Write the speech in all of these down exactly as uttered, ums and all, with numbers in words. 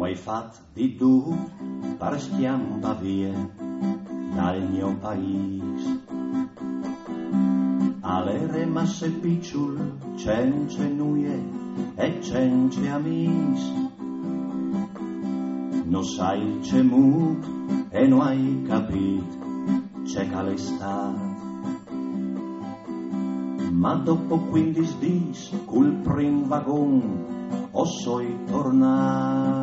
Ho ai fat di dut par scjampâ vie dal gno paîs. Al jere masse piçul, cence nuie e cence amîs. No sai cemût e no ai capît ce che al è stât. Ma dopo cuindis dîs cul prin vagon o soi tornât.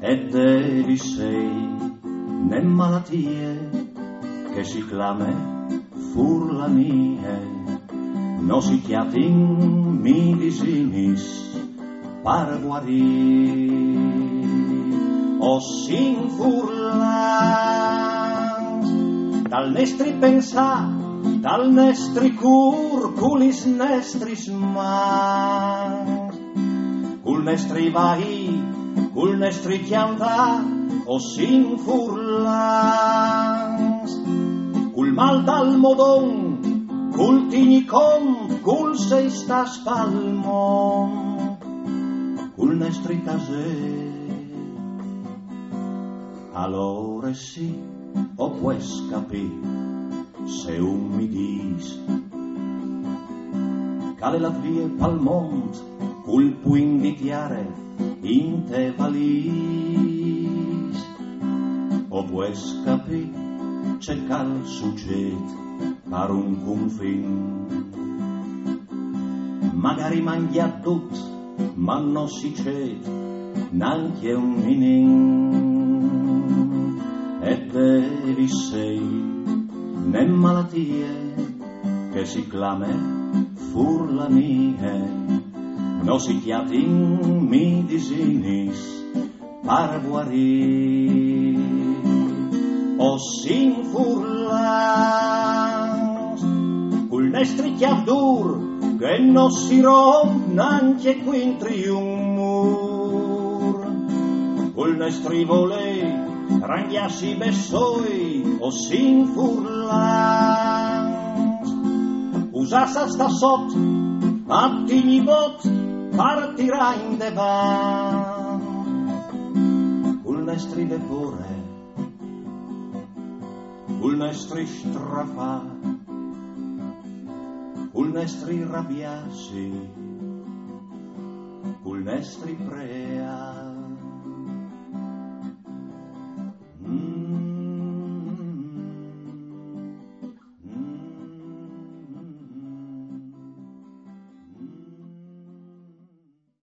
E devi sei ne malatie che si clame furlanie. No si cjatin midisinis par guarî. O sin furlans, dal nestri pensâ, dal nestri cûr, cu lis nestris mans, cul nestri vaî, cul nestri cjantâ, o sin furlans, cul mâl dal modon, cul tignî cont, cul sei stâts pal mont, cul nestri tasê. Alore sì, o pues capî, se un mi dîs che al è lât vie pal mont cul puin di tiere inte valîs. O pues capî ce che al sucêt par un cunfin. Magari mangjât dut, ma no si cêt nancje un ninin. E devi sei ne malatie che si clame furlanie. No si cjatin midisinis par guarî. O sin furlans, cul nestri cjâf dûr che no si romp nancje cuintri un mûr, cul nestri volê rangjâsi bessôi, o sin furlans, usâts a stâ sot, a tignî bot par tirâ indevant, cul nestri vepore, cul nestri strafâ, cul nestri rabiâsi, cul nestri pre